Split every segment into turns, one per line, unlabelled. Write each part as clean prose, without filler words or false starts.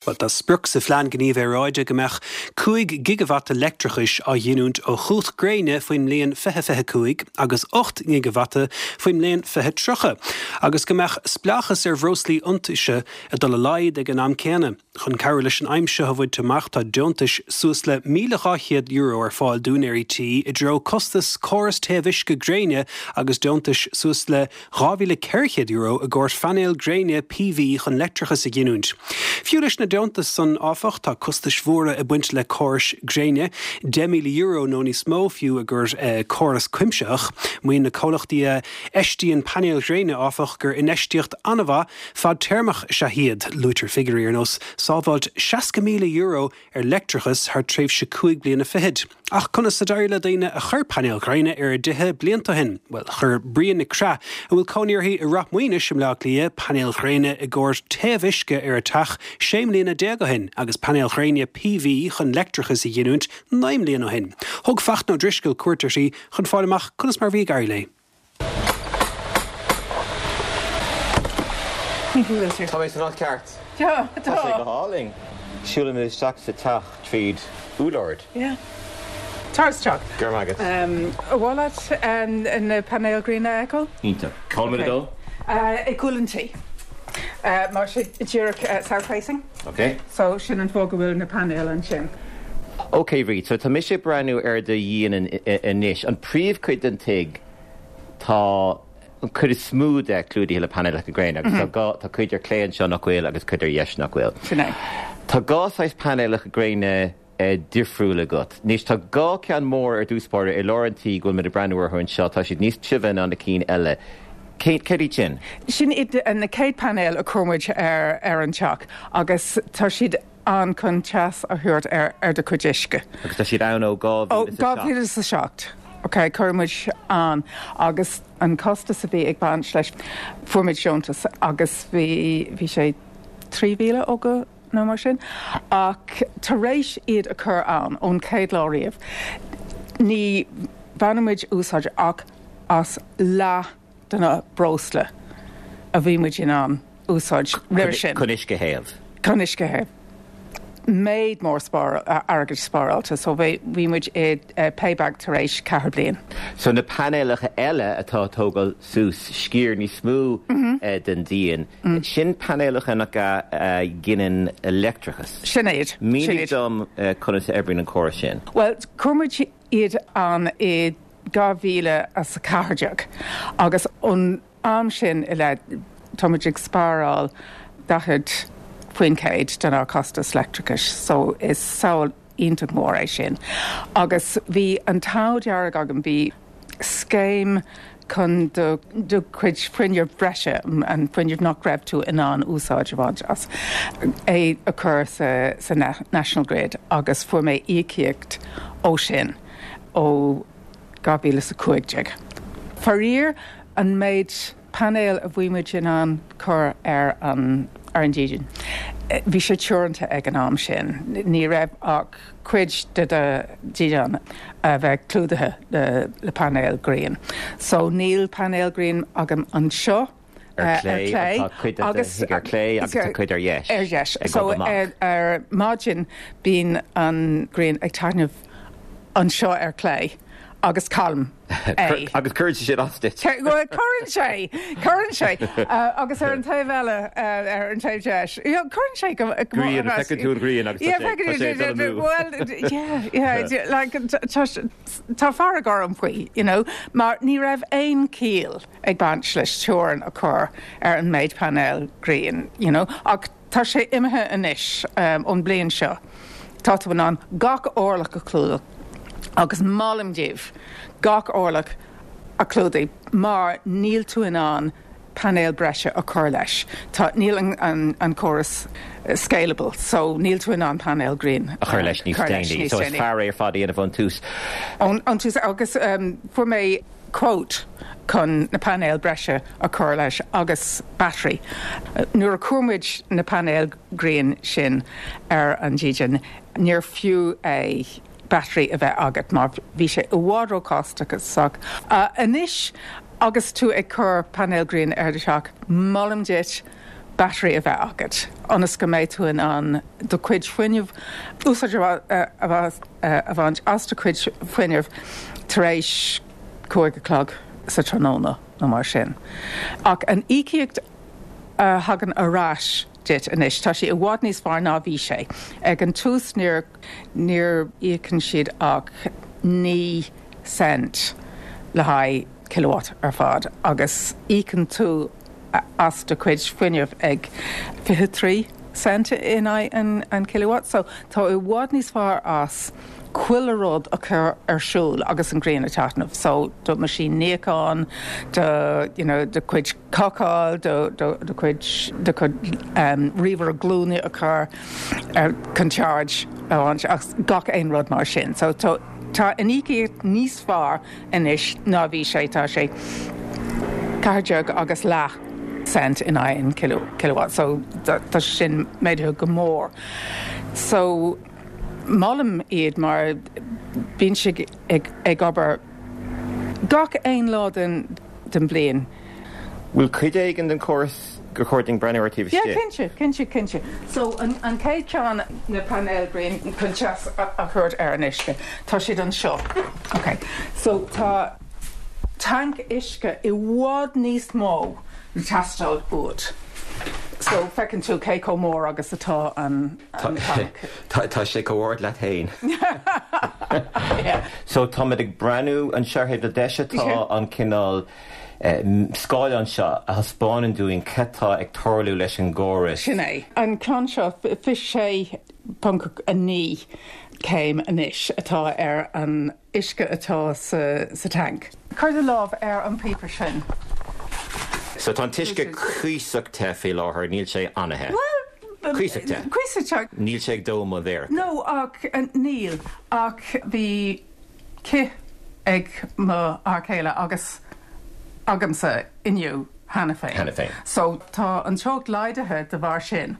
Bhuel, tá sprioc sa Phlean Gníomh Aeráide go mbeadh 5 ghigeavata leictreachais á ghiniúint ó chumhacht gréine faoin mbliain 2025 agus 8 ngigeavata faoin mbliain 2030, agus go mbeadh spleáchas ar bhreoslaí iontaise ag dul i laghad ag an am céanna. Chun cabhrú leis an aidhm seo a bhaint amach tá deontais suas le €1,200 ar fáil d'úinéirí tí i dtreo costas córas téamh uisce gréine agus deontais suas le €2,400 i gcomhair phainéil gréine PV chun leictreachas a ghiniúint. Fiú leis na deontais san, áfach, tá costais mhóra ag baint le córais gréine, €10,000 nó níos mó fiú i gcomhair córas cuimsitheach. Maíonn na comhlachtaí a fheistíonn painéil ghréine, áfach, gur infheistíocht an-mhaith fadtéarmach is ea iad. Luaitear figiúirí ar nós sábháilt €60,000 ar leictreachas thar tréimhse cúig bliana fichead. Ach conas a d'éirigh le daoine a chuir painéil ghréine ar a dtithe blianta ó shin? Bhuel, chuir Brían Nic Craith, a bhfuil cónaí uirthi i Ráth Maonais i mBleá Cliath, painéil ghréine i gcomhair téamh uisce ar a teach sé mbliana déag ó shin agus painéil ghréine PV chun leictreachas a ghiniúint naoi mbliana ó shin. Thug Fachtna Ó Drisceoil cuairt uirthi chun fáil amach conas mar a bhí ag éirí léi.
Tá mé san áit ceart. Tá sé go hálainn. Siúlaimid isteach sa teach tríd úllord.
Tar isteach.
Go raibh maith agat.
Ar mhaith leat na painéil gréine a fheiceáil?
Iontach. Cá bhfuil muid ag dul?
Ag cúl an tí. Mar sé díreach south facing.
Ok.
So sin an fáth go bhfuil na painéil ansin.
Ok Bríd, so tá mise ag breathnú ar do dhíon anois. An príomhchuid den tigh, tá an chuid is mó de clúdaithe le painéalacha gréine agus tá dhá, tá cuid ar clé anseo nach bhfuil agus cuid ar dheis nach bhfuil.
Sin é.
Tá dhá saghas painéalacha gréine difriúil agat. Anois tá dhá cheann mór ar dtús báire i lár an tí go bhfuil muid ag breathnú orthu anseo, tá siad níos tibhe ná na cinn eile. Cé, céard iad sin?
Sin iad na chéad painéil a chuir muid ar ar an teach agus tá siad ann chun teas a thabhairt ar ar do chuid uisce.
Agus tá siad ann ó 2007.
Ó 2007. Ok, chuir muid ann agus an costas a bhí ag baint leis, fuair muid deontas agus bhí, bhí sé 3,000 ó go nó mar sin. Ach tar éis iad a chur ann ón chéad lá riamh, ní bhaineann muid úsáid ach as leath de na breosla a bhí muid in ann úsáid roimhe sin.
Chun uisce a théamh.
Chun uisce a théamh. Méid mór airgid spáráilte so bhí muid i payback tar éis ceathair bliain.
So na painéalacha eile atá ag tógáil suas sciar níos mó den díon, sin painéalacha nach ea a ghineann leictreachas.
Sin iad.
Mínigh dom conas a oibríonn an córas sin.
Bhuel, chuir muid iad ann i 2014 agus ón am sin i leith tá muid ag spáráil 40% denár costas leictreachais so is sábháil iontach mór é sin. Agus bhí an t-ádh dearg agam, bhí scéim chun do do chuid fuinnimh bhreise, an fuinneamh nach raibh tú in ann úsáid a bhaint as, é a chur sa sa National Grid agus fuair mé íocaíocht ó sin ó 2015. Faraor, an méid painéal a bhí muid in ann cur ar an ar an dídean, bhí sé teoranta ag an am sin. Ní raibh ach cuid de do dhídean a bheith clúdaithe le le painéil ghrian. So níl painéil ghrian agam anseo.
Ar clé, tá cuid de do thigh ar clé agus tá cuid ar dheis.
Ar dheis. So ar maidin bíonn an ghrian ag taitneamh anseo ar clé agus caillim é.
Agus cuireann sé sin as duit.
Bhuel, cuireann sé, cuireann sé. Agus ar an taobh eile, ar an taobh deis, cuireann sé go
Grian, feiceann tú an ghrian agus tá sé, tá sé ag dul amú.
Bhuel, yeah, yeah, like, tá fearg orm faoi, you know, mar ní raibh aon chiall ag baint leis teorainn a chur ar an méid painéil grian, you know, ach tá sé imithe anois ón bliain seo. Tá tú in ann gach orlach a chlúdach agus molaim daoibh gach orlach a chlúdaigh mar níl tú in ann painéal breise a chur leis. Tá, níl an, an córas scalable so níl tú in ann painéal grian
a chur leis níos déanaí. So is fearr é ar fad a dhéanamh ón tús.
Ón tús agus fuair mé quote chun na painéil breise a chur leis agus battery. Nuair a chuir muid na painéil grian sin ar an dídean, níor fiú é battery a bheith agat mar bhí sé i bhfad ró-chostasach. Anois agus tú ag cur painéil grian ar do theach, molaim duit. battery a bheith agat ionas go mbeidh tú in ann do chuid fuinnimh, úsáid a bhaint as do chuid fuinnimh tar éis 5 a chlog sa tráthnóna nó mar sin. Ach an íocaíocht a thagann ar ais duit anois, tá sé i bhfad níos fearr ná bhí sé. Ag an tús níor níor íocann siad ach 9 cent le haghaidh kilowatt ar fad agus íocann tú as do chuid fuinnimh ag 23 cent in aghaidh an kilowatt. So tá i bhfad níos fearr as chuile rud a chur ar siúl agus an ghrian ag taitneamh. So do meaisín níocháin, do you know do chuid cócáil, do do do chuid do chuid ríomhaire glúine a chur ar chun charge a bhaint as gach aon rud mar sin. So tá tá an íocaíocht níos fearr anois ná bhí sé, tá sé 14 agus leath cent in aghaidh an kilowatt, so tá sé sin méadaithe go mór. So molaim iad mar bíonn siad ag obair gach aon lá den bhliain.
Bhfuil cuid éigin den chóras gur chóir dúinn breathnú air taobh
istigh? Yeah, cinnte, cinnte, cinnte. So an chéad cheann, na painéil ghréine chun teas a thabhairt ar an uisce, tá siad anseo. Ok, so tá tanc uisce i bhfad níos mó le teastáil uait. So feiceann tú cé chomh mór agus atá an tanc.
Tá sé chomh ard leat féin. So táimid ag breathnú anseo ar thaobh na deise tá an cineál scáileán seo a thaispeánann dúinn cad tá ag tarlú leis an gcóras.
Sin é. An ceann seo, 26.9 céim anois atá ar an uisce atá sa tanc. Cuir do lámh ar an bpíopa sin.
So tá an t-uisce cuíosach te faoi láthair, níl sé an-the.
Bhuel,
Cuíosach te.
Cuíosach te.
Níl sé ag dó mo mhéarsa.
No, ach níl. Ach bhí cith ag mo fhear céile agus agamsa inniu cheana féin.
Cheana féin.
So tá an teocht laghdaithe de bharr sin.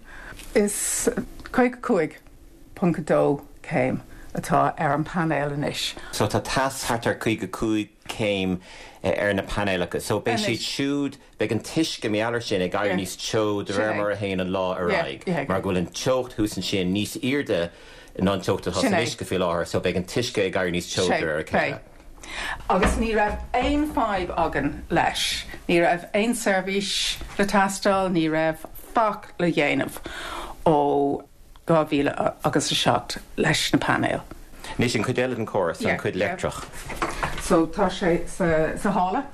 Is 55.2 céim atá ar an painéal anois.
So tá teas thart ar 55 céim ar na painéalacha. So beidh siad siúd Beidh an t-uisce mar gheall air sin ag éirí níos teo de réir mar a théann an lá ar aghaidh, mar go bhfuil an teocht thuas ansin níos airde ná an teocht atá san uisce faoi láthair, so beidh an t-uisce ag éirí níos teo de réir a chéile.
Agus ní raibh aon fadhb againn leis. Ní raibh aon seirbhís le teastáil, ní raibh faic le dhéanamh ó 2000 agus 7 leis na painéil.
Anois an chuid eile den chóras, an chuid leictreach.
So tá sé sa halla.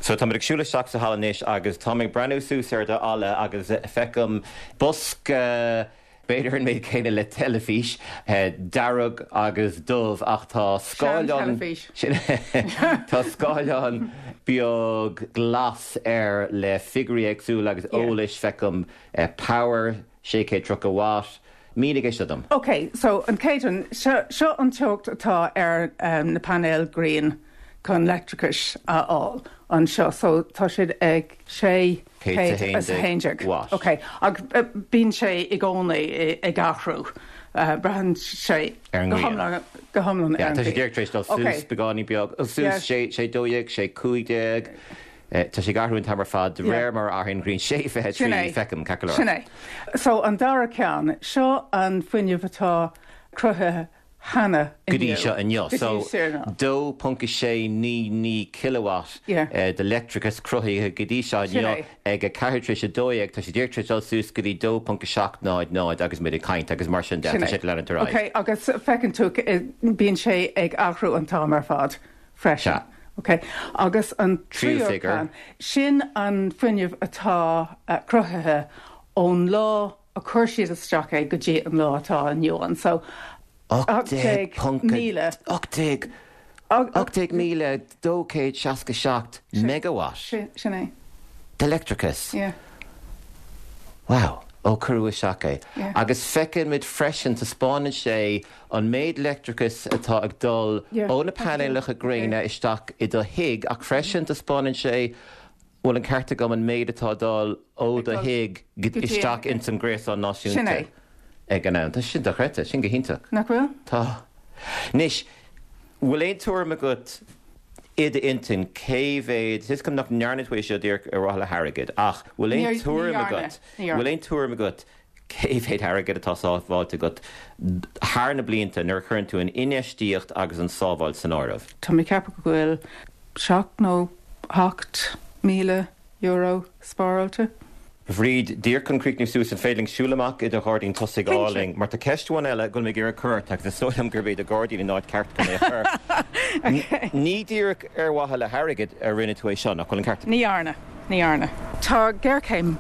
So táimid ag siúl isteach sa halla anois agus táim ag breathnú suas ar do fhalla agus feicim bosca, b'fhéidir an méid céanna le teilifís, dearg agus dubh ach tá scáileán, tá scáileán beag glas air le figiúirí éagsúla agus eolais, feicim Power, 630 watt. Mínigh é seo dom.
Ok, so an chéad rud, seo, seo an teocht atá ar na painéil ghrian chun leictreachais a fháil anseo. So tá siad ag 611
watt.
Ok, ach bíonn sé i gcónaí ag athrú. Braitheann sé
Ar an
go
ngrian.
hiomlán, go hiomlán
Yeah,
ar an
tá sé
ngrian.
díreach tar éis dul
Ok.
suas beagáinín beag, suas
Yeah.
6, 6, 12, 6, 15. Tá sé ag athrú an t-am ar fad de réir mar a athraíonn an ghrian. 6:23, feicim, ceart go leor.
Sin é. So an dara ceann, seo an fuinneamh atá cruthaithe cheana
Go dtí
inniu.
seo inniu.
Go
So
dtí seo inniu.
2.699 kilowatt de leictreachas cruthaithe go dtí seo inniu ag 11:04. Tá sé díreach tar éis dul suas go dtí 2.700 agus muid ag caint agus mar sin de. Tá sé ag leanúint ar aghaidh.
Ok, agus feiceann tú, bíonn sé ag athrú an t-am ar fad. freisin. Ok. Agus an tríú ceann, sin an fuinneamh atá cruthaithe ón lá a chuir siad isteach é go dtí an lá atá inniu ann. So, 18,000.
18,267 megawatt.
Sin é.
De leictreachas.
Yeah.
Wow. Ó cuireadh isteach é.
Yeah.
Agus feiceann muid freisin, taispeánann sé an méid leictreachais atá ag dul ó na painéalacha gréine isteach i do thigh ach freisin taispeánann sé, bhfuil an ceart agam, an méid atá ag dul ó do thigh isteach ins an gréasán náisiúnta ag an am. Tá sin dochreidte, sin go hiontach.
Nach bhfuil?
Tá. Anois, bhfuil aon tuairim agat? I d'intinn, cé mhéad, tá 'fhios agam nach ndearna tú é seo díreach ar mhaithe le hairgead, ach bhfuil aon tuairim agat, bhfuil aon tuairim agat cé mhéad airgid atá sábháilte agat thar na blianta nuair a chuireann tú an infheistíocht agus an sábháil san áireamh?
Tá mé ag ceapadh go bhfuil 7 nó 8,000 euro spáráilte.
Bhríd, díreach chun críochnú suas, an féidir linn siúl amach i do ghairdín tosaigh álainn, mar tá ceist amháin eile go bhfuil mé ag iarraidh cur ort agus is dóigh liom gurb é do ghairdín an áit ceart chun é a chur. Ní díreach ar mhaithe le hairgead a rinne tú é seo, nach bhfuil an ceart
agam? Ní dhearna, ní dhearna. Tá géarchéim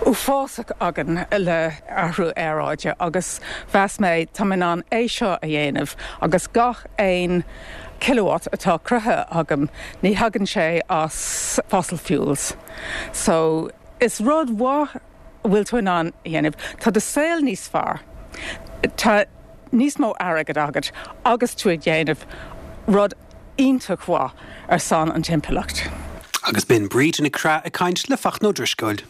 uafásach againn le athrú aeráide agus mheas mé tá mé in ann é seo a dhéanamh agus gach aon kilowatt atá cruthaithe agam ní thagann sé as fossil fuels. So, is rud mhaith a bhfuil tú in ann a dhéanamh. Tá do saol níos fearr, tá níos mó airgead agat agus tú ag déanamh rud iontach mhaith ar son an timpeallacht.
Agus b'in Bríd Nic Craith ag caint le Fachtna Ó Drisceoil.